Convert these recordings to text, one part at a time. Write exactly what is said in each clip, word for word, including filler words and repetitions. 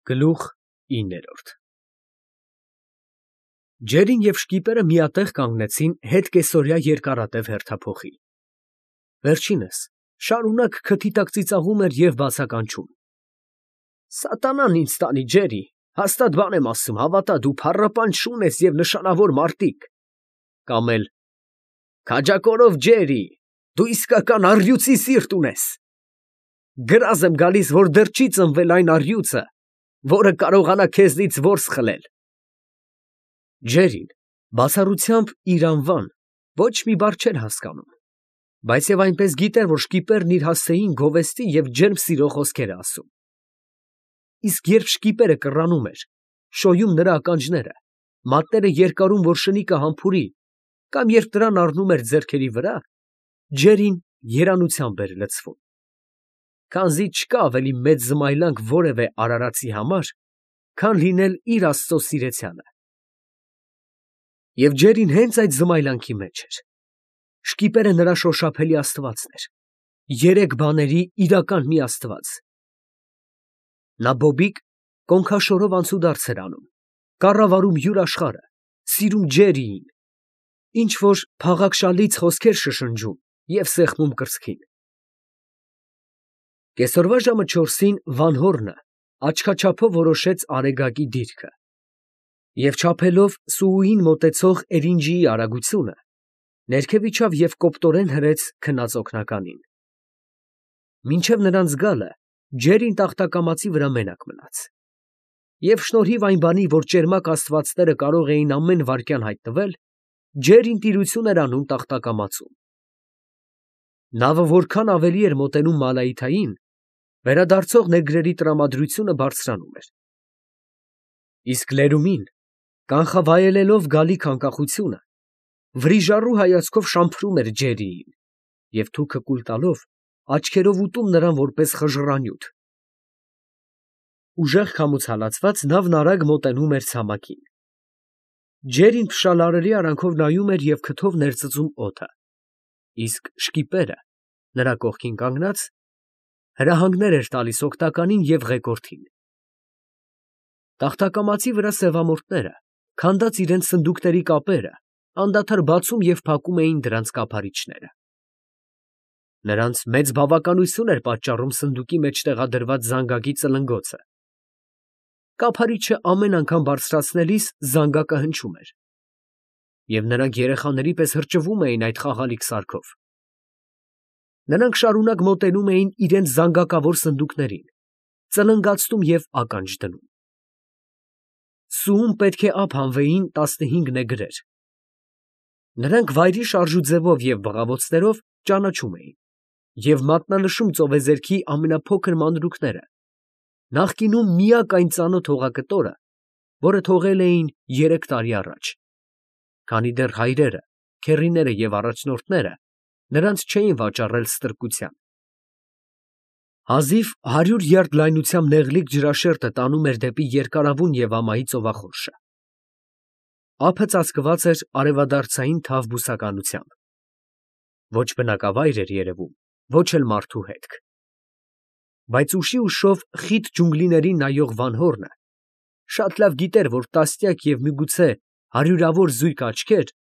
Գլուխ ինը Ջերին և շկիպերը միատեղ կանգնեցին հետ կեսօրյա երկարատև հերթափոխի. վերջինս շարունակ քթի տակ ծիծաղում էր և բացականչում. Սատանան ինձ տանի, Ջերի, հաստատ բան եմ ասում, հավատա, դու փառապանջ շուն ես և նշանավոր մարտիկ, կամ էլ քաջակորով Ջերի, դու իսկական առյուծի սիրտ ունես, գրազ եմ գալիս, որ դեռ չի ծնվել այն առյուծը, որը կարողանա քեզնից որս խլել։ Ջերին բացառությամբ իր անվան ոչ մի բառ չէր հասկանում, բայց և այնպես գիտեր, որ շկիպերն իր հասցեին գովեստի և ջերմ սիրո խոսքեր է ասում։ Իսկ երբ շկիպերը կռանում էր, շոյում նրա ականջները, մատները երկարում, որ շնիկը համբուրի, կամ երբ նրան առնում էր ձեռքերի վրա, Ջերին երանությամբ էր լցվում, քանզի չկա ավելի մեծ զմայլանք որևէ արարածի համար, քան լինել իր Աստծո սիրեցյալը։ Եվ Ջերին հենց այդ զմայլանքի մեջ էր։ Շկիպերը նրա շոշափելի աստվածն էր, երեք բաների իրական մի աստված։ Նա բոբիկ կոնքաշորով անցուդարձ էր անում, կառավարում յուր աշխարհը, սիրում Ջերիին, ինչ֊որ փաղաքշալից խոսքեր շշնջում և սեղմում կրծքին։ Կեսօրվա ժամը չորսին Վանհոռնը աչքաչափով որոշեց Արեգակի դիրքը և չափելով Սուուին մոտեցող էրինջիի արագությունը, ներքև իջավ և կոպտորեն հրեց քնած օգնականին։ Մինչև նրանց գալը Ջերին տախտակամածի վրա մենակ մնաց։ Եվ շնորհիվ այն բանի, որ ճերմակ աստվածները կարող էին ամեն վայրկյան հայտնվել, Ջերին տիրություն էր անում տախտակամածում։ Նավը որքան ավելի էր մոտենում Մալայիթային, վերադարձող նեգրերի տրամադրությունը բարձրանում էր։ Իսկ լերումին, կանխավայելելով գալիք անկախությունը, վրիժառու հայացքով շամփրում էր Ջերիին և թուքը կուլ տալով աչքերով ուտում նրան որպես խժռանյութ։ Ուժեղ քամուց հալածված նավն արագ մոտենում էր ցամաքին։ Ջերին փշալարերի արանքով նայում էր և քթով ներծծում օդը, իսկ շկիպերը, նրա կողքին կանգնած, հրահանգներ էր տալիս օգնականին և ղեկորդին։ Տախտակամածի վրա սևամորթները, քանդած իրենց սնդուկների կապերը, անդադար բացում և փակում էին դրանց կափարիչները։ Նրանց մեծ բավականություն էր պատճառում սնդուկի մեջ տեղադրված զանգակի ծլնգոցը։ Կափարիչը ամեն անգամ բարձրացնելիս զանգակը հնչում էր, և նրանք երեխաների պես հրճվում էին այդ խաղալիք սարքով։ Նրանք շարունակ մոտենում էին իրենց զանգակավոր սնդուկներին, ծլնգացնում և ականջ դնում։ Սուում պետք է ափ հանվեին տասնհինգ նեգրեր։ Նրանք վայրի շարժուձևով և բղավոցներով ճանաչում էին և մատնանշում ծովեզերքի ամենափոքր մանրուքները, նախկինում միակ այն ծանոթ հողակտորը, որը թողել էին երեք տարի առաջ, քանի դեռ հայրերը, քեռիները և առաջնորդները նրանց չէին վաճառել ստրկության։ Հազիվ հարյուր յարդ լայնությամբ նեղլիկ ջրաշերտը տանում էր դեպի երկարավուն և ամայի ծովախորշը։ Ափը ծածկված էր արևադարձային թավ բուսականությամբ։ Ոչ բնակավայր էր երևում, ոչ էլ մարդու հետք։ Բայց ուշի ուշով խիտ ջունգլիներին նայող Վանհոռնը շատ լավ գիտեր, որ տասնյակ և միգուցե հարյուրավոր զույգ աչքեր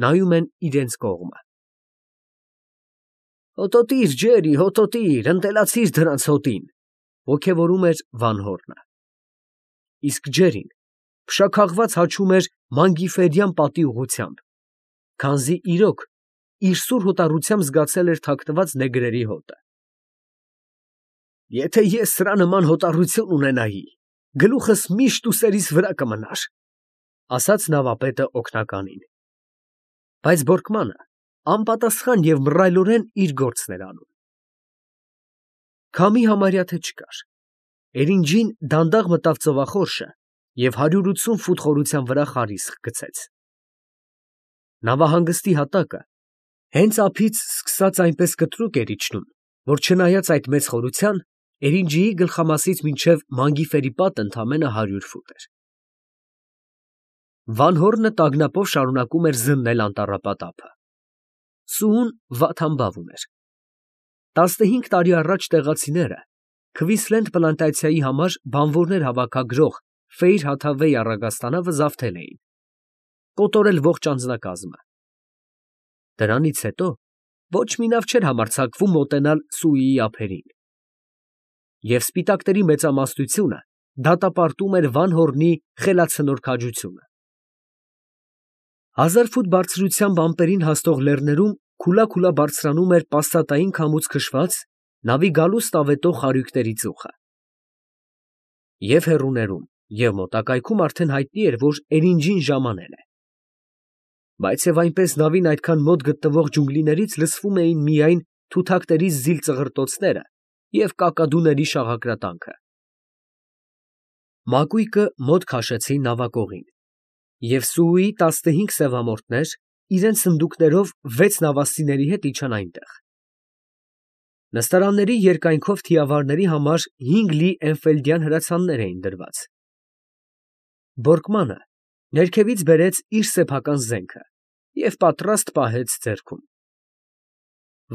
նայում են իրենց կողմը։ Հոտոտիր, Ջերի, հոտոտիր, ընտելացիր դրանց հոտին, ֊ ոգևորում էր Վանհոռնը։ Իսկ Ջերին փշաքաղված հաչում էր մանգիֆերյան պատի ուղղությամբ, քանզի իրոք իր սուր հոտառությամբ զգացել էր թաքնված նեգրերի հոտը։ Եթե ես սրա նման հոտառություն ունենայի, գլուխս միշտ ուսերիս վրա կմնար, ֊ ասաց նավապետը օգնականին։ Բայց Բորկմանը անպատասխան և մռայլորեն իր գործն էր անում։ Քամի համարյա թե չկար։ Էրինջին դանդաղ մտավ ծովախորշը և հարյուր ութսուն ֆուտ խորության վրա խարիսկ գցեց։ Նավահանգստի հատակը հենց ափից սկսած այնպես կտրուկ էր իջնում, որ չնայած այդ մեծ խորության, Էրինջիի գլխամասից մինչև Մանգիֆերի պատը ընդամենը հարյուր ֆուտ էր։ Վանհոռնը տագնապով շարունակում էր զննել անտառապատ ափը։ Սուուն վատ համբավ ուներ։ Տասնհինգ տարի առաջ տեղացիները Քվիսլենդ պլանտացիայի համար բանվորներ հավաքագրող Ֆեյր Հաթավեի առագաստանը վզավթել էին, կոտորել ողջ անձնակազմը։ Դրանից հետո ոչ մի նավ չէր համարձակվում մոտենալ Սուիի ափերին։ Եվ սպիտակների մեծամասնությունը դատապարտում էր Վան Հորնի խելացնոր քաջությունը։ Հազար ֆուտ բարձրությամբ ամպերին հասնող լեռներում քուլա-քուլա բարձրանում էր պաստատային քամուց քշված նավի գալուստ ավետող խարույկների ծուխը։ Եվ հեռուներում, և մոտակայքում արդեն հայտնի էր, որ Էրինջին ժամանել է։ Բայց և այնպես նավին այդքան մոտ գտնվող ջունգլիներից լսվում էին միայն թութակների զիլ ծղրտոցները և կակադուների շաղակրատանքը։ Մակույկը մոտ քաշեցին նավակողին, և Սուի տասնհինգ սևամորթներ իրենց սնդուկներով վեց նավաստիների հետ իջան այնտեղ։ Նստարանների երկայնքով թիավարների համար հինգ լի էնֆելդյան հրացաններ էին դրված։ Բորկմանը ներքևից բերեց իր սեփական զենքը և պատրաստ պահեց ձեռքում։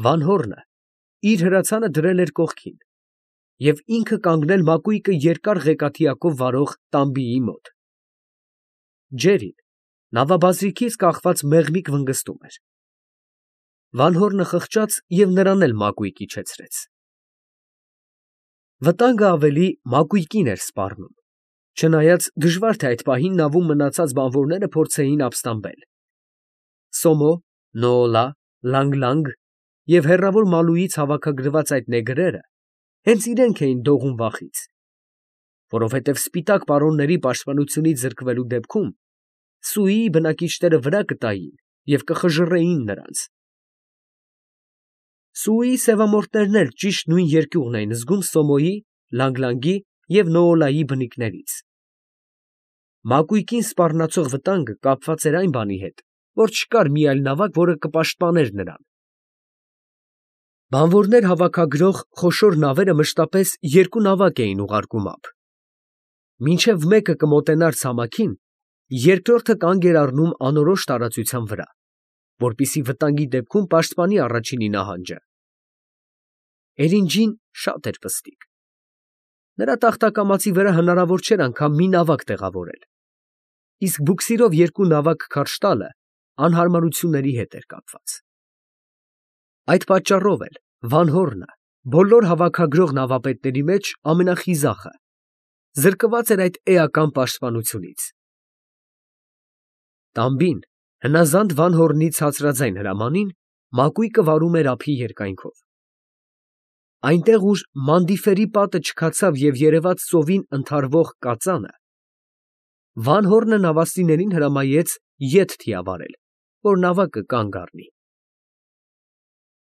Վան Հորնը իր հրացանը դրել էր կողքին և ինքը կանգնել մակույկը երկար ղեկաթիակով վարող տամբիի մոտ։ Ջերին նավաբազրիքից կախված մեղմիկ վնգստում էր։ Վան Հորնը խղճաց և նրան էլ մակույկը իջեցրեց։ Վտանգը ավելի մակույկին էր սպառնում, չնայած դժվար թե այդ պահին նավում մնացած բանվորները փորձեին ապստամբել։ Սոմո, Նոոլա, Լանգ֊Լանգ և հեռավոր Մալուից հավաքագրված այդ նեգրերը հենց իրենք էին դողում վախից, որովհետև սպիտակ պարոնների պաշտպանությունից զրկվելու դեպքում Սուիի բնակիչները վրա կտային և կխժռեին նրանց։ Սուիի սևամորթներն էլ ճիշտ նույն երկյուղն էին զգում Սոմոյի, Լանգ֊Լանգի և Նոոլայի բնիկներից։ Մակույկին սպառնացող վտանգը կապված էր այն բանի հետ, որ չկար մի այլ նավակ, որը կպաշտպաներ նրան։ Բանվորներ հավաքագրող խոշոր նավերը մշտապես երկու նավակ էին ուղարկում ափ։ Մինչև մեկը կմոտենար ցամաքին, երկրորդը կանգ էր առնում անորոշ տարածության վրա, որպեսզի վտանգի դեպքում պաշտպանի առաջինի նահանջը։ Էրինջին շատ էր պստիկ։ Նրա տախտակամածի վրա հնարավոր չէր անգամ մի նավակ տեղավորել, իսկ բուքսիրով երկու նավակ քարշ տալը անհարմարությունների հետ էր կապված։ Այդ պատճառով էլ Վան Հորնը բոլոր հավաքագրող նավապետների մեջ ամենախիզախը, զրկված էր այդ էական պաշտպանությունից։ Տամբին, հնազանդ Վան Հորնի ցածրաձայն հրամանին, մակույկը վարում էր ափի երկայնքով։ Այնտեղ, ուր Մանդիֆերի պատը չքացավ և երևաց ծովին ընդհարվող կածանը, Վան Հորնը նավաստիներին հրամայեց ետ թիավարել, որ նավակը կանգ առնի։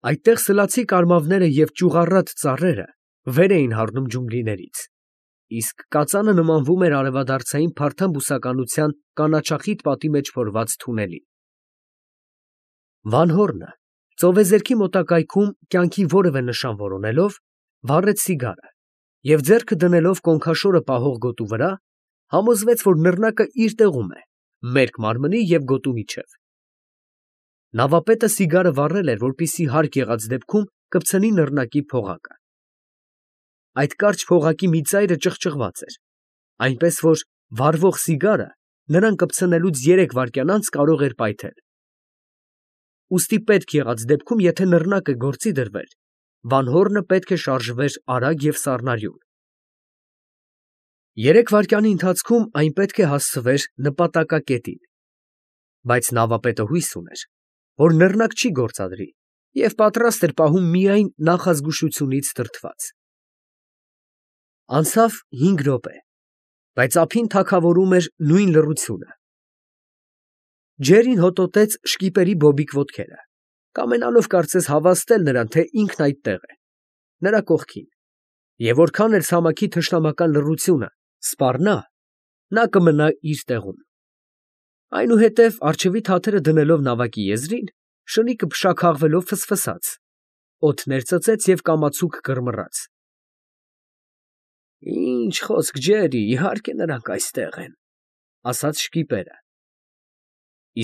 Այդտեղ սլացի կարմավները և ճյուղառատ ծառերը վեր էին հառնում ջունգլիներից, իսկ կածանը նմանվում էր արևադարձային փարթամ բուսականության կանաչախիտ պատի մեջ փորված թունելի։ Վան Հորնը ծովեզերքի մոտակայքում կյանքի որևէ նշան որոնելով, վառեց սիգարը և ձեռքը դնելով կոնքաշորը պահող գոտու վրա, համոզվեց, որ նռնակը իր տեղում է, մերկ մարմնի և գոտու միջև։ Նավապետը սիգարը վառել էր, որպեսզի հարկ եղած դեպքում կպցնի նռնակի փողակը։ Այդ կարճ փողակի մի ծայրը ճղճղված էր, այնպես որ վառվող սիգարը նրան կպցնելուց երեք վայրկյան անց կարող էր պայթել։ Ուստի պետք եղած դեպքում, եթե նռնակը գործի դրվեր, Վան Հորնը պետք է շարժվեր արագ և սառնարյուն։ Երեք վայրկյանի ընթացքում այն պետք է հասցվեր նպատակակետին, բայց նավապետը հույս ուներ, որ նռնակ չի գործադրի և պատրաստ էր պահում միայն նախազգուշությունից դրդված։ Անցավ հինգ րոպե, բայց ափին թագավորում էր նույն լռությունը։ Ջերին հոտոտեց շկիպերի բոբիկ ոտքերը, կամենալով կարծես հավաստել նրան, թե ինքն այդտեղ է, նրա կողքին, և որքան էլ ցամաքի թշնամական լռությունը սպառնա, նա կմնա իր տեղում։ Այնուհետև առջևի թաթերը դնելով նավակի եզրին, շնիկը փշաքաղվելով ֆսֆսաց, օդներ ծծեց և կամացուկ կռմռաց։ Ինչ խոսք, Ջերի, իհարկե նրանք այստեղ են, ֊ ասաց շկիպերը։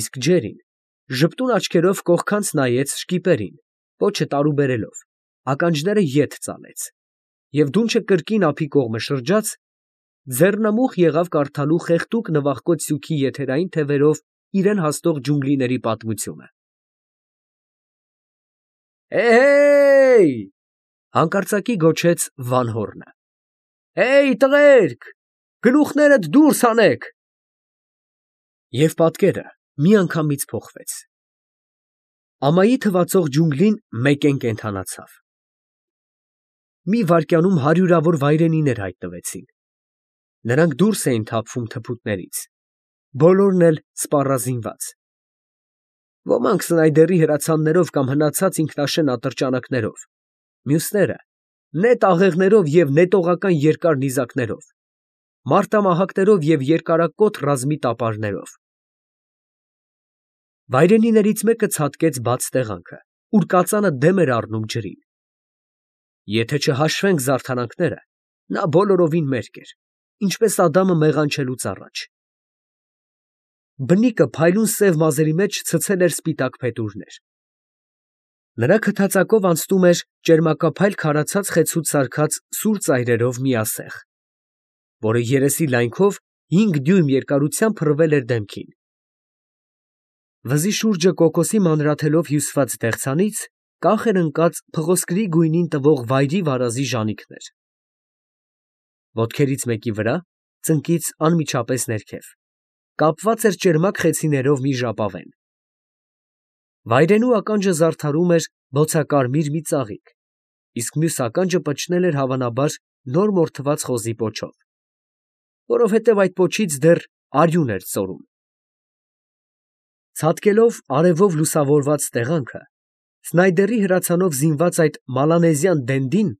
Իսկ Ջերին ժպտուն աչքերով կողքանց նայեց շկիպերին, պոչը տարուբերելով, ականջները ետ ծալեց և դունչը կրկին ափի կողմը շրջաց, ձեռնամուխ եղավ կարդալու խեղդուկ նվախկոտ սյուքի եթերային թևերով իրան հասնող ջունգլիների պատմությունը։ «Հե՜յ, հե՜յ», հանկարծակի գոչեց Վան֊Հորնը։ «Հե՜յ, տղերք, գլուխներդ դուրս հանեք»։ Եվ պատկերը միանգամից փոխվեց. ամայի թվացող ջունգլին մեկեն կենդանացավ։ Մի վայրկյանում հարյուրավոր վայրենիներ հայտնվեցին. նրանք դուրս էին թափվում թփուտներից, բոլորն էլ սպառազինված, ոմանք սնայդերի հրացաններով կամ հնացած ինքնաշեն ատրճանակներով, մյուսները նետ աղեղներով և նետողական երկար նիզակներով, մարտամահակներով և երկարակոթ ռազմի տապարներով։ Վայրենիներից մեկը ցատկեց բաց տեղանքը, ուր կածանը դեմ էր առնում ջրին։ Եթե չհաշվենք զարդարանքները, նա բոլորովին մերկ էր, ինչպես Ադամը մեղանչելուց առաջ։ Բնիկը փայլուն սև մազերի մեջ ցցել էր սպիտակ փետուրներ։ Նրա քթածակով անցնում էր ճերմակափայլ քարացած խեցուց սարքած սուր ծայրերով մի ասեղ, որը երեսի լայնքով հինգ դյույմ երկարությամբ փռվել էր դեմքին։ Վզի շուրջը կոկոսի մանրաթելով հյուսված դեղցանից կախ էր ընկած փղոսկրի գույնին տվող վայրի վարազի ժանիքներ։ Ոտքերից մեկի վրա, ծնկից անմիջապես ներքև, կապված էր ճերմակ խեցիներով մի ժապավեն։ Վայրենու ականջը զարդարում էր բոցակարմիր մի ծաղիկ, իսկ մյուս ականջը պչնել էր հավանաբար նոր մորթված խոզի պոչով, որովհետև այդ պոչից դեռ արյուն էր ծորում։ Ցատկելով արևով լուսավորված տեղանքը, սնայդերի հրացանով զինված այդ մալանեզյան դենդին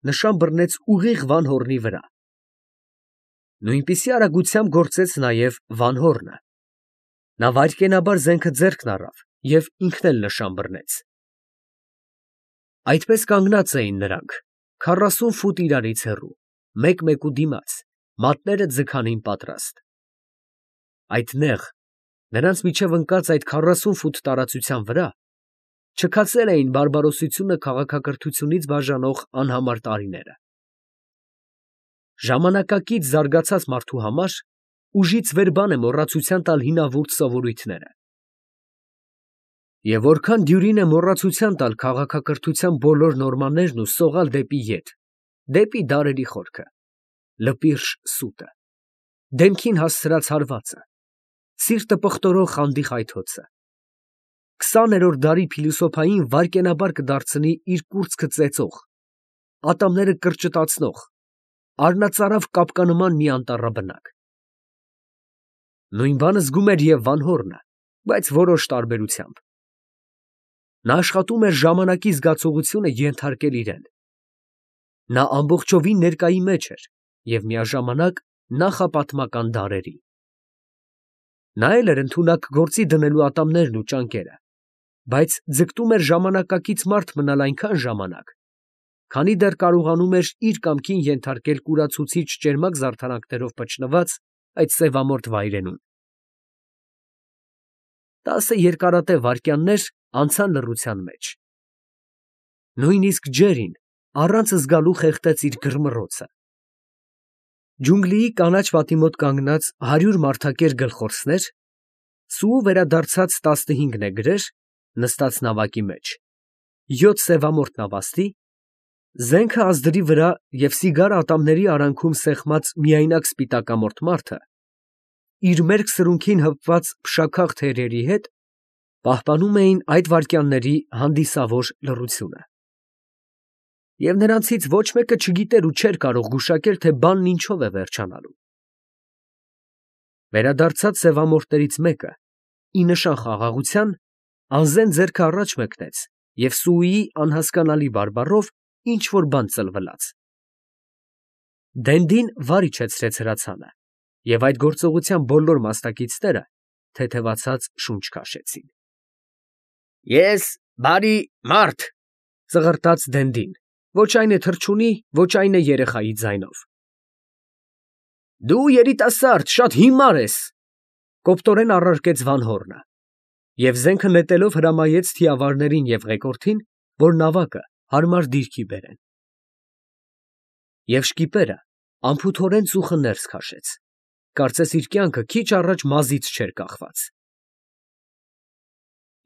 նշան բռնեց ուղիղ Վան֊Հորնի վրա։ Նույնպիսի արագությամբ գործեց նաև Վան֊Հորնը։ Նա վայրկենաբար զենքը ձեռքն առավ և ինքն էլ նշան բռնեց։ Այդպես կանգնած էին նրանք, քառասուն ֆուտ իրարից հեռու, մեկ֊մեկու դիմաց, մատները ձգանին պատրաստ։ Այդ նեղ, նրանց միջև ընկած այդ քառասուն ֆուտ տարածության վրա չքացել էին բարբարոսությունը քաղաքակրթությունից բաժանող անհամար տարիները։ Ժամանակակից զարգացած մարդու համար ուժից վեր բան է մոռացության տալ հինավուրց սովորույթները։ Եվ որքան դյուրին է մոռացության տալ քաղաքակրթության բոլոր նորմաներն ու սողալ դեպի ետ, դեպի դարերի խորքը, լպիրշ սուտը, դեմքին հասցրած հարվածը, սիրտը պղտորող խանդի խայթոցը, քսաներորդ դարի փիլիսոփային վայրկենաբար կդարձնի իր կուրծքը ծեծող, ատամները կրճտացնող, առնածարավ կապկանման մի անտառաբնակ։ Նույն բանը զգում էր և Վան֊Հորնը, բայց որոշ տարբերությամբ։ Նա աշխատում էր ժամանակի զգացողությունը ենթարկել իրեն։ Նա ամբողջովին ներկայի մեջ էր և միաժամանակ նախապատմական դարերի։ Նա էլ էր ընդունակ գործի դնելու ատամներն ու ճանկերը, բայց ձգտում էր ժամանակակից մարդ մնալ այնքան ժամանակ, քանի դեռ կարողանում էր իր կամքին ենթարկել կուրացուցիչ ճերմակ զարդարանքներով պչնված այդ սևամորթ վայրենուն։ Տասը երկարատև վայրկյաններ անցան լռության մեջ։ Նույնիսկ ջերին առանց զգալու խեղդեց իր գրմռոցը։ Ջունգլիի կանաչ պատի մոտ կանգնած հարյուր մարդակեր գլխորսներ, սուու վերադարձած տասնհինգ նեգրեր, նստած նավակի մեջ, յոթ սևամորթ նավաստի, զենքը ազդրի վրա և սիգար ատամների արանքում սեղմած միայնակ սպիտակամորթ մարդը, իր մերկ սրունքին հպված փշաքաղ թերերի հետ, պահպանում էին այդ վայրկյանների հանդիսավոր լռությունը։ Եվ նրանցից ոչ մեկը չգիտեր ու չէր կարող գուշակել, թե բանն ինչով է վերջանալու։ Վերադարձած սևամորթներից մեկը, ի նշան խաղաղության, անզեն ձեռքը առաջ մեկնեց և սուի անհասկանալի բարբառով ինչ֊որ բան ծլվլաց։ Դենդին վար իջեցրեց հրացանը, և այդ գործողության բոլոր մասնակիցները թեթևացած շունչ քաշեցին։ «Ես բարի մարդ», ծղրտաց Դենդին, ոչ այն է թռչունի, ոչ այն է երեխայի ձայնով։ «Դու երիտասարդ, շատ հիմար ես», կոպտորեն առարկեց Վան֊Հորնը, և զենքը նետելով հրամայեց թիավարներին և ղեկորդին, որ նավակը հարմար դիրքի բերեն։ Եվ շկիպերը անփութորեն ծուխը ներս քաշեց, կարծես իր կյանքը քիչ առաջ մազից չէր կախված։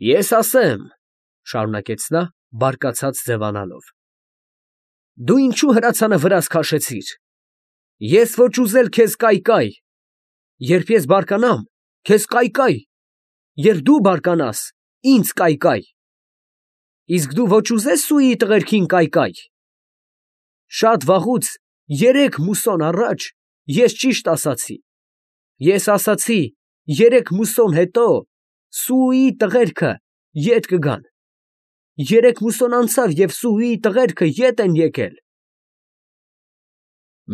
Ես ասեմ, շարունակեց նա, բարկացած ձևանալով, դու ինչու հրացանը վրաս քաշեցիր։ Ես ոչ ուզել քեզ կայկայ, երբ ես բարկանամ, քեզ կայկայ, երբ դու բարկանաս, ինձ կայկայ, իսկ դու ոչ ուզես Սուի տղերքին կայկայ։ Շատ վաղուց, երեք մուսոն առաջ, ես ճիշտ ասացի։ Ես ասացի, երեք մուսոն հետո Սուի տղերքը ետ կգան։ Երեք մուսոն անցավ և Սուի տղերքը ետ են եկել։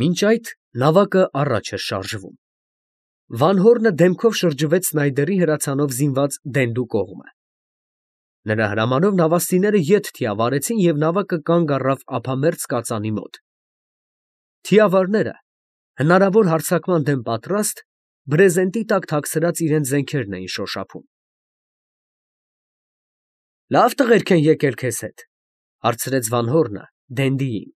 Մինչ այդ նավակը առաջ էր շարժվում։ Վանհորնը դեմքով շրջվեց Սնայդերի հրացանով զինված դենդու կողմը։ Նրա հրամանով նավաստիները ետ թիավարեցին և նավակը կանգ առավ ափամերձ կածանի մոտ։ Թիավարները, հնարավոր հարձակման դեմ պատրաստ, բրեզենտի տակ թաքցրած իրենց զենքերն էին շոշափում։ Լավ տղերք են եկել քեզ հետ, հարցրեց Վանհորնը դենդիին։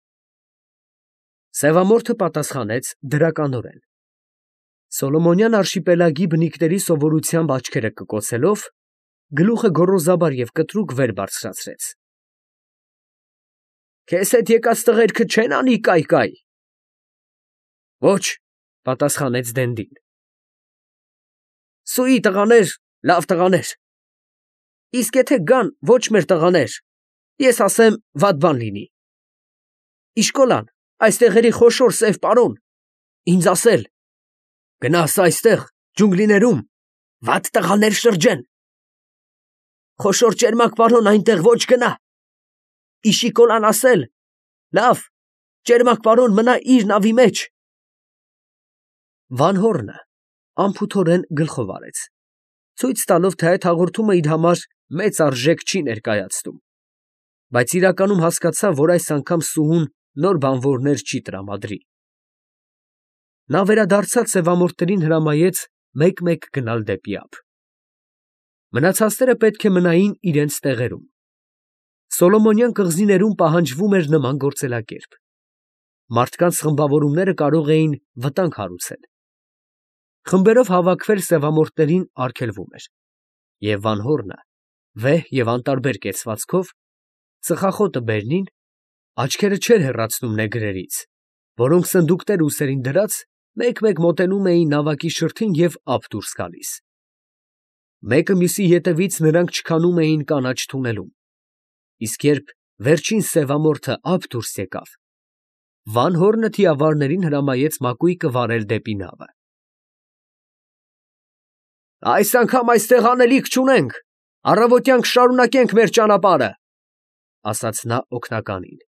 Սևամորթը պատասխանեց դրականորեն։ Սոլոմոնյան արշիպելագի բնիկների սովորությամբ աչքերը կկոցելով, գլուխը գոռոզաբար և կտրուկ վեր բարձրացրեց։ Քեզ հետ եկած տղերքը չե՞ն անի կայկայ։ Ոչ, պատասխանեց դենդին։ Սուի տղաներ, լավ տղաներ։ Իսկ եթե գան ոչ մեր տղաներ, ես ասեմ, վատ բան լինի։ Իշկոլան, այս տեղերի խոշոր սև պարոն, ինձ ասել, գնաս այստեղ, ջունգլիներում, վատ տղաներ շրջեն։ Խոշոր ճերմակ պարոն այնտեղ ոչ գնա։ Իշիկոլան ասել, լավ, ճերմակ պարոն մնա իր նավի մեջ։ Վանհորնը անփութորեն գլխով արեց, ցույց տալով, թե այդ հաղորդումը իր համար մեծ արժեք չի ներկայացնում, բայց իրականում հասկացավ, որ այս անգամ Սուհուն նոր բանվորներ չի տրամադրի։ Նա վերադարձած սևամորթերին հրամայեց մեկ֊մեկ գնալ դեպի ափ։ Մնացածները պետք է մնային իրենց տեղերում։ Սոլոմոնյան կղզիներում պահանջվում էր նման գործելակերպ։ Մարդկանց խմբավորումները կարող էին վտանգ հարուցել։ Խմբերով հավաքվել սևամորթներին արգելվում էր, և Վանհորնը, վեհ և անտարբեր կեցվածքով, ծխախոտը բերնին, աչքերը չէր հեռացնում նեգրերից, որոնք սնդուկներ ուսերին դրած, մեկ֊մեկ մոտենում էին նավակի շրթին և ափ դուրս գալիս։ Մեկը մյուսի ետևից նրանք չքանում էին կանաչ թունելում, իսկ երբ վերջին սևամորթը ափ դուրս եկավ, Վանհորնը թիավարներին հրամայեց մակույկը վարել դեպի նավը։ Այս անգամ այստեղ անելիք չունենք, առավոտյան կշարունակենք մեր ճանապարհը, ասաց նա օգնականին։